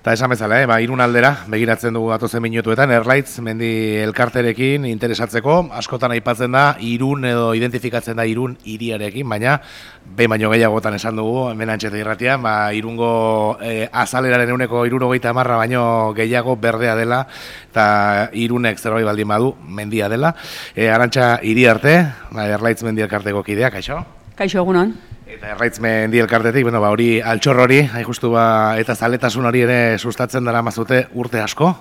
Eta esan bezala, Irun aldera, begiratzen dugu datozen minutuetan, Erlaitz mendi elkarterekin interesatzeko, askotan aipatzen da, Irun edo identifikatzen da Irun hiriarekin, baina, baino gehiagotan esan dugu, hemen Antxeta irratian, Irungo azaleraren euneko 70 baino gehiago berdea dela, eta Irunek zerbait baldin badu, mendia dela. Arantxa Iriarte, Erlaitz mendi elkarteko kidea, kaixo? Kaixo, egunon. Eta Erlaitz mendi elkartetik, hori altxor hori, justu eta zaletasun hori ere sustatzen dara mazute urte asko.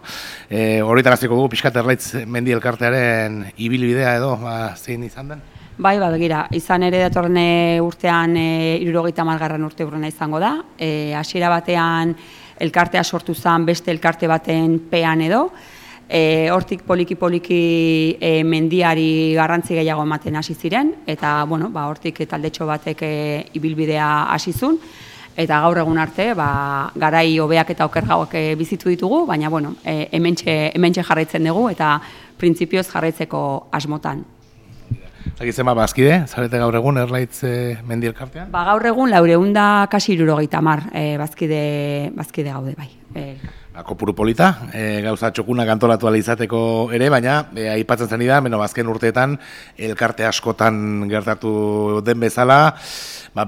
Horretaraziko dugu, pixkat Erlaitz mendi elkartearen ibilbidea edo, zein izan den? Bai, begira, izan ere datorren urtean 70. urte urrena izango da. Hasiera batean elkartea sortu zen beste elkarte baten pean edo. Hortik poliki-poliki mendiari garrantzi gehiago ematen hasi ziren, eta hortik taldetxo batek ibilbidea hasi zuen, eta gaur egun arte garai hobeak eta okerragoak bizitu ditugu, baina hementxe jarraitzen dugu eta printzipioz jarraitzeko asmotan. Zagitzen bazkide, zarete gaur egun Erlaitz mendi elkartean? Gaur egun 400 kasi 70 bazkide gaude bai. Kopuru polita, gauza txokunak antolatu ala izateko ere, baina aipatzen zen da, azken urteetan elkarte askotan gertatu den bezala,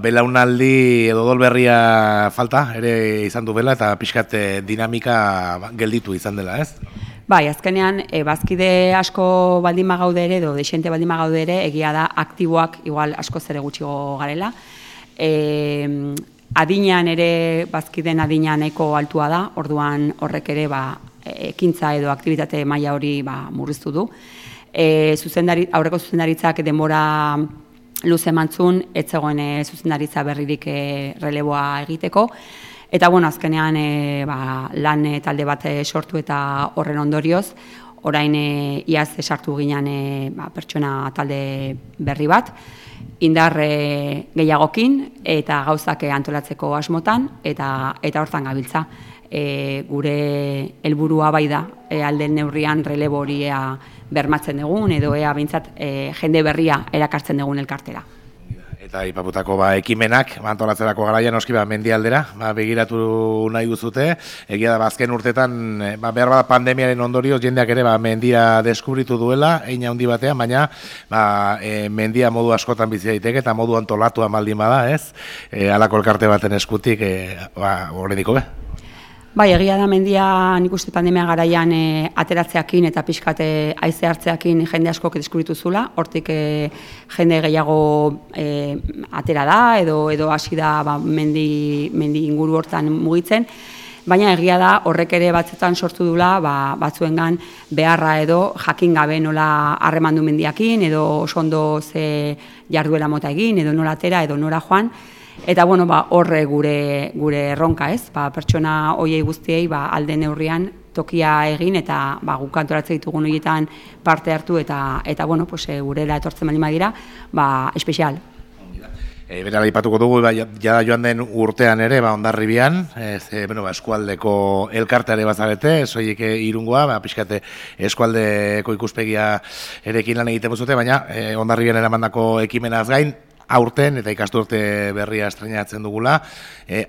belaunaldi edo dolberria falta ere izan du bela eta pixkat dinamika gelditu izan dela, ez? Bai, azkenean, bazkide asko baldin bagaude ere, edo desente baldin bagaude ere, egia da aktiboak igual asko zere gutxigo garela. Adinean ere, bazkiden adinean nahiko altua da, orduan horrek ere ekintza edo aktibitate maila hori murriztu du. Aurreko zuzendaritzak denbora luze emantzun, ez zegoen zuzendaritza berririk releboa egiteko. Eta azkenean lan talde bat sortu eta horren ondorioz, orain iaz sartu ginen pertsona talde berri bat, indar gehiagokin eta gauzak antolatzeko asmotan eta hortan gabiltza. Gure helburua bai da alden neurrian relebo horia bermatzen dugun edo behintzat jende berria erakartzen dugun elkartera. Eta ipaputako ekimenak, antolatzerako garaian noski mendialdera, begiratu nahi duzute. Egia da, azken urtetan, behar bada pandemiaren ondorioz, jendeak ere mendia deskubritu duela, hein handi batean, baina mendia modu askotan bizi daiteke eta modu antolatua baldin bada, ez? Halako elkarte baten eskutik, horrediko be? Bai, egia da mendia nik uste pandemia garaian ateratzeakin eta pixkate haize hartzeakin jende askok deskubritu zula, hortik jende gehiago atera da edo hasi da mendi inguru hortan mugitzen, baina egia da horrek ere batzuetan sortu dula batzuengan beharra edo jakin gabe nola harremandu mendiakin edo oso ondo ze jarduera mota egin edo nola atera edo nora joan. Eta horre gure erronka, ez? Pertsona hoiei guztiei alde neurrian tokia egin eta guk antolatzen ditugun horietan parte hartu eta gurela etortzen baldin badira, espezial. Berara ipatuko dugu, jada joan den urtean ere, Hondarribian, eskualdeko elkarteare bazarete, soilik Irungoa, pixkate eskualdeko ikuspegia erekin lan egiten zute, baina Hondarribian eramandako ekimenaz gain, aurten eta ikasturte berria estreinatzen dugula,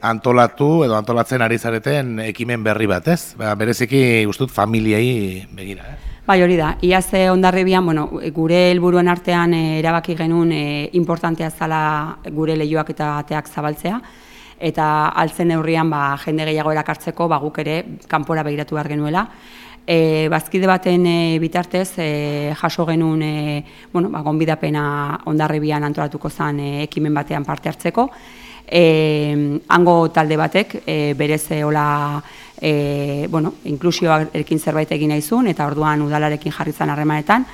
antolatu edo antolatzen ari zareten ekimen berri bat, ez? Bereziki ustut familiei begira, Bai, hori da. Iaz Hondarribian, gure helburuen artean erabaki genuen importantea zala gure lehioak eta ateak zabaltzea, eta altzen neurrian jende gehiago erakartzeko guk ere kanpora begiratu behar genuela. Bazkide baten bitartez jaso genuen gonbidapena Hondarribian antolatuko zen ekimen batean parte hartzeko. Hango talde batek berez inklusioarekin zerbait egin nahi zuen eta orduan udalarekin jarri zen harremanetan,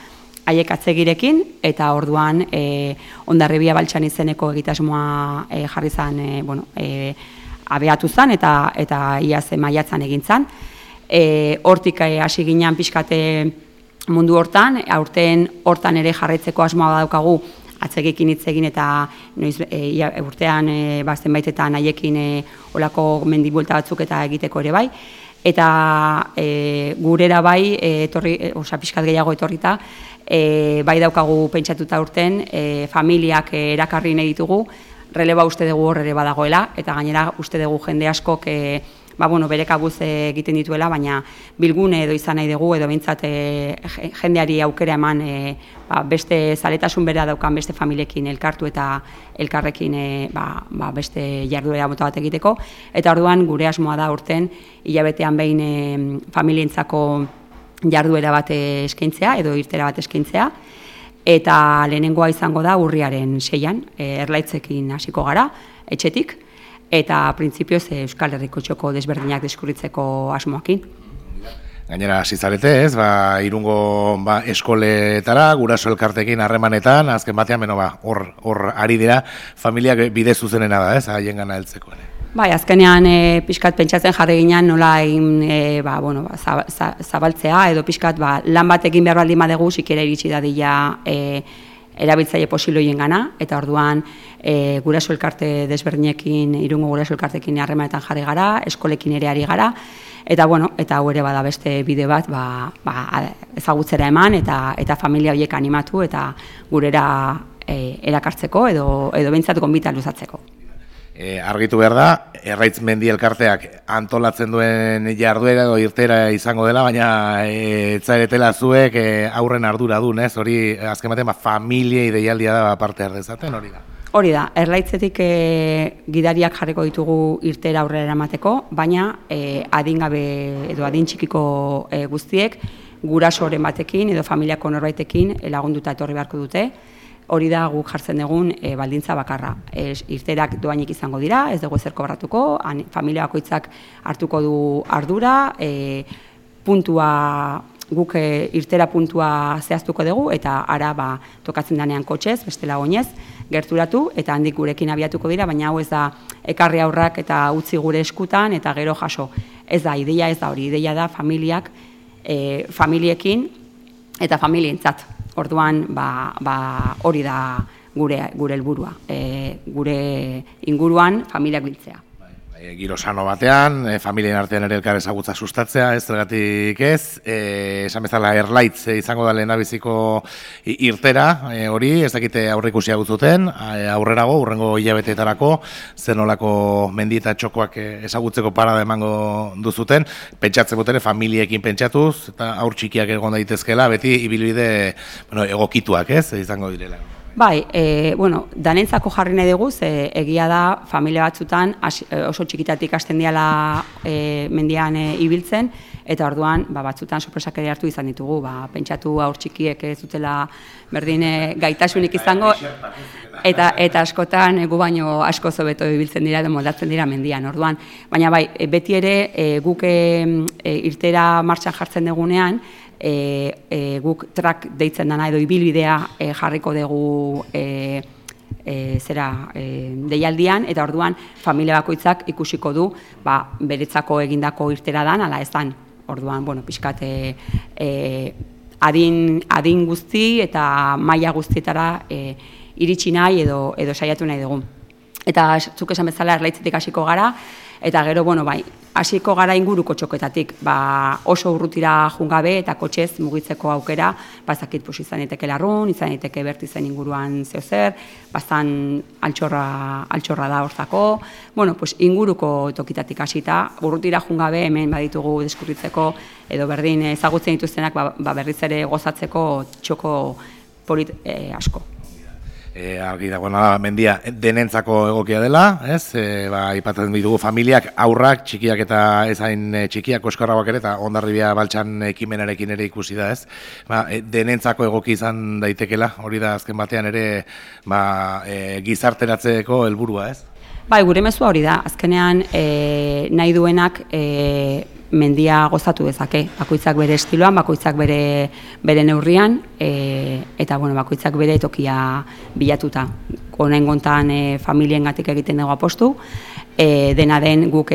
haiek atzegirekin eta orduan Hondarribia Baltsan izeneko egitasmoa jarri zen abeatu zen eta iaz maiatzan egin zen. Hortik hasi ginen pixkate mundu hortan, aurten hortan ere jarraitzeko asmoa daukagu atzegekin hitz egin eta urtean zenbaitetan haiekin olako mendibuelta batzuk eta egiteko ere bai. Eta gurera bai, pixkat gehiago etorrita, bai daukagu pentsatuta urten, familiak erakarri nahi ditugu, releba uste dugu hor ere badagoela, eta gainera uste dugu jende askok bueno, bere kabuz egiten dituela, baina bilgune edo izan nahi dugu, edo behintzat jendeari aukera eman beste zaletasun bera daukan beste familiekin elkartu eta elkarrekin beste jarduera mota bat egiteko. Eta orduan gure asmoa da urten hilabetean behin familientzako jarduera bat eskaintzea edo irtera bat eskaintzea. Eta lehenengoa izango da urriaren 6an, Erlaitzekin hasiko gara, etxetik, eta printzipioz Euskal Herriko txoko desberdinak deskurritzeko asmoakin. Gainera, hasi zarete, ez, Irungo eskoletara, guraso elkartekin harremanetan, azken batean, hor ari dira, familiak bide zuzenena da, ez, haien gana heltzeko ere. Bai, azkenean pixkat pentsatzen jarri ginen nola egin zabaltzea, edo pixkat lan bat egin behar baldin badegu, sikera iritsi dadila erabiltzaile posiloien gana, eta orduan guraso elkarte desberdinekin, Irungo guraso elkartekin harremanetan jarri gara, eskolekin ere ari gara, eta hau ere bada beste bide bat ezagutzera eman eta familia horiek animatu eta gurera erakartzeko edo behintzat gonbita luzatzeko. Argitu behar da, Erraitz Mendi elkarteak antolatzen duen jarduera edo irtera izango dela, baina etzaretela zuek aurren arduradun, ez? Hori azken batean familiei deialdia da parte hardezaten, hori da? Hori da, Erlaitzetik gidariak jarriko ditugu irtera aurrera eramateko, baina adingabe edo adin txikiko guztiek gurasoren batekin edo familiako norbaitekin lagunduta etorri beharko dute. Hori da guk jartzen dugun baldintza bakarra. Irterak doainik izango dira, ez dugu ezer kobratuko, familia bakoitzak hartuko du ardura, guk irtera puntua zehaztuko dugu, eta ara tokatzen danean kotxez, bestela oinez, gerturatu, eta handik gurekin abiatuko dira, baina hau ez da ekarri aurrak eta utzi gure eskutan, eta gero jaso. Ez da, ideia ez da hori, ideia da familiekin eta familientzat. Orduan, hori da gure helburua, gure inguruan familiak biltzea. Giro sano batean, familien artean ere elkar ezagutza sustatzea, ez zergatik ez, esan bezala Erlaitz izango da lehendabiziko irtera, hori, ez dakite aurreikusia gutzuten, aurrerago, hurrengo hilabeteetarako, zenolako mendi eta txokoak ezagutzeko parada emango duzuten, pentsatzen botere familiekin pentsatuz, eta aur txikiak egon daitezkela, beti ibilbide egokituak, ez, izango direla. Bai, danentzako jarri nahi dugu, egia da familia batzutan oso txikitatik hasten diala mendian ibiltzen, eta orduan batzutan sorpresak ere hartu izan ditugu, pentsatu aur txikiek ez dutela berdin gaitasunik izango, eta askotan gu baino asko hobeto ibiltzen dira edo moldatzen dira mendian, orduan. Baina bai, beti ere guk irtera martxan jartzen dugunean, guk trak deitzen dana edo ibilbidea jarriko dugu deialdian, eta orduan familia bakoitzak ikusiko du beretzako egindako irtera dan, ala ez dan. Orduan, pixkat adin guzti eta maila guztietara iritsi nahi edo saiatu nahi dugu. Eta zuk esan bezala Erlaitzetik hasiko gara, eta gero, hasiko gara inguruko txoketatik, oso urrutira jungabe eta kotxez mugitzeko aukera, bazakit izan daiteke Larrun, izan daiteke Bertizen inguruan zeozer, bazan altxorra da hortzako, inguruko tokitatik hasita, urrutira jungabe hemen baditugu deskurritzeko, edo berdin ezagutzen dituztenak berriz ere gozatzeko txoko polit asko. Argi dagoena mendia denentzako egokia dela, ez? Aipatzen ditugu familiak, aurrak, txikiak eta ezain txikiak, oskarrauak ere, eta Hondarribia Baltsan ekimenarekin ere ikusi da, ez? Denentzako egoki izan daitekela, hori da azken batean ere gizarteratzeko helburua, ez? Bai, gure mezua hori da, azkenean nahi duenak mendia gozatu dezake, bakoitzak bere estiloan, bakoitzak bere neurrian, eta bakoitzak bere tokia bilatuta. Honen gontan familiengatik egiten dugu apostu, dena den guk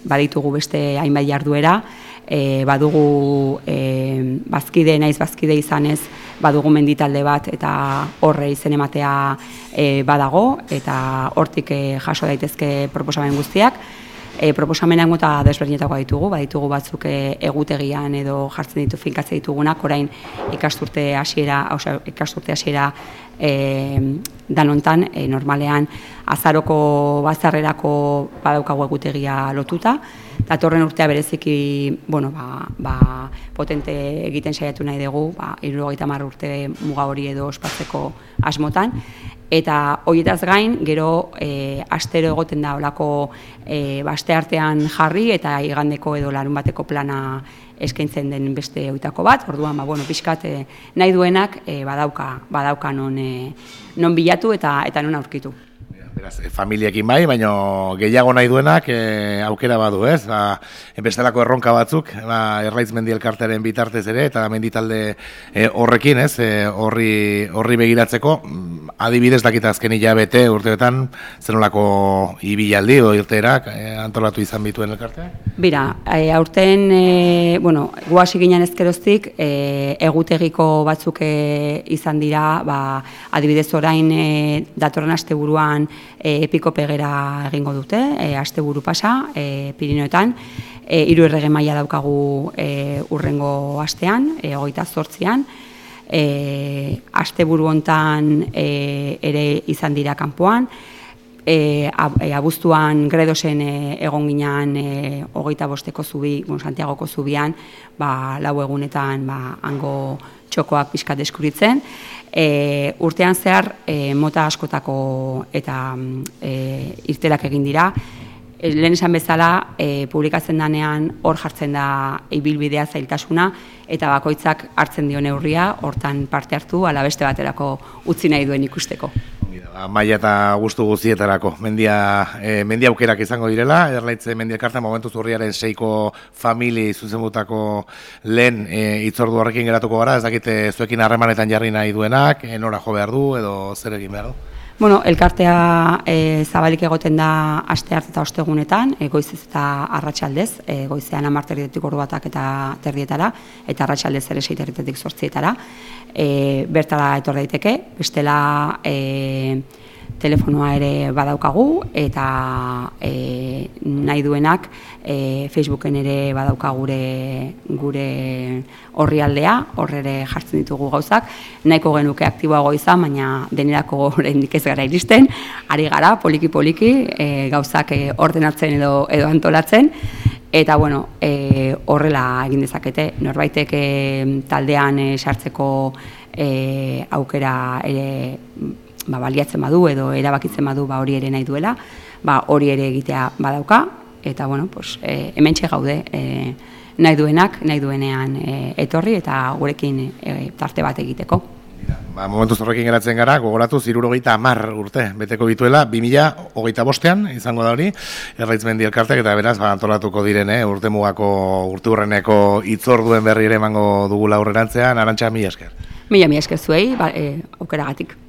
baditugu beste hainbat jarduera, badugu bazkide naiz bazkide izanez, badugu menditalde bat eta horre izen ematea badago, eta hortik jaso daitezke proposamen guztiak. Proposamenak mota desberdinetakoa ditugu, baditugu batzuk egutegian edo jartzen ditu finkatzen ditugunak, orain ikasturte hasiera danontan, normalean azaroko bazarrerako badaukagu egutegia lotuta, datorren urtea bereziki, potente egiten saiatu nahi dugu, 70 urte muga hori edo ospatzeko asmotan, eta horietaz gain, gero astero egoten da olako asteartean jarri eta igandeko edo larunbateko plana eskaintzen den beste oitako bat, orduan, pixkat nahi duenak badauka non bilatu eta non aurkitu. Beraz, familiekin bai, baina gehiago nahi duenak aukera badu, ez? Bestelako erronka batzuk, Erlaitz Mendi Elkartearen bitartez ere, eta menditalde horrekin, ez? Horri begiratzeko, adibidez dakita azken hilabete urteetan, zenolako ibilaldi edo irteerak antolatu izan bituen elkarteak? Bira, aurten, guasi ginen ezkeroztik, egutegiko batzuk izan dira, adibidez orain datorren asteburuan epiko pegera egingo dute, asteburu pasa, Pirinioetan, 3 errege maila daukagu urrengo astean, 28an, asteburu hontan ere izan dira kanpoan, abuztuan Gredosen egon ginen 25eko zubi, Santiagoko zubian, 4 egunetan hango txokoak pixkat deskuritzen. Urtean zehar mota askotako eta irterak egin dira. Lehen esan bezala, publikatzen danean hor jartzen da ibilbidea zailtasuna eta bakoitzak hartzen dio neurria, hortan parte hartu, ala beste baterako utzi nahi duen ikusteko. Maila eta gustu guztietarako. Mendia aukerak izango direla, Erlaitz Mendi Elkartea momentu urriaren 6ko famili zuzenbutako lehen hitzordu horrekin geratuko gara, ez dakite zuekin harremanetan jarri nahi duenak, nora jo behar du edo zer egin behar du? Elkartea zabalik egoten da astearte eta ostegunetan, goizez eta arratsaldez, goizean 10:00 ordu batak eta terdietara, eta arratsaldez ere 6:00 8:00. Bertara etor daiteke, bestela telefonoa ere badaukagu, eta nahi duenak Facebooken ere badaukagu gure orrialdea, hor ere jartzen ditugu gauzak, nahiko genuke aktiboago izan, baina denerako oraindik ez gara iristen, ari gara poliki-poliki gauzak ordenatzen edo antolatzen, eta horrela egin dezakete, norbaitek taldean sartzeko aukera ere baliatzen badu edo erabakitzen badu hori ere nahi duela, hori ere egitea badauka, eta hementxe gaude nahi duenean etorri eta gurekin tarte bat egiteko. Momentuz horrekin geratzen gara, gogoratu 70 urte beteko bituela, 2025an izango da hori, Erlaitz Mendi Elkarteak, eta beraz antolatuko diren urteurreneko hitzorduen berri ere emango dugula aurrerantzean. Arantxa, mila esker. Mila esker zuei, aukeragatik.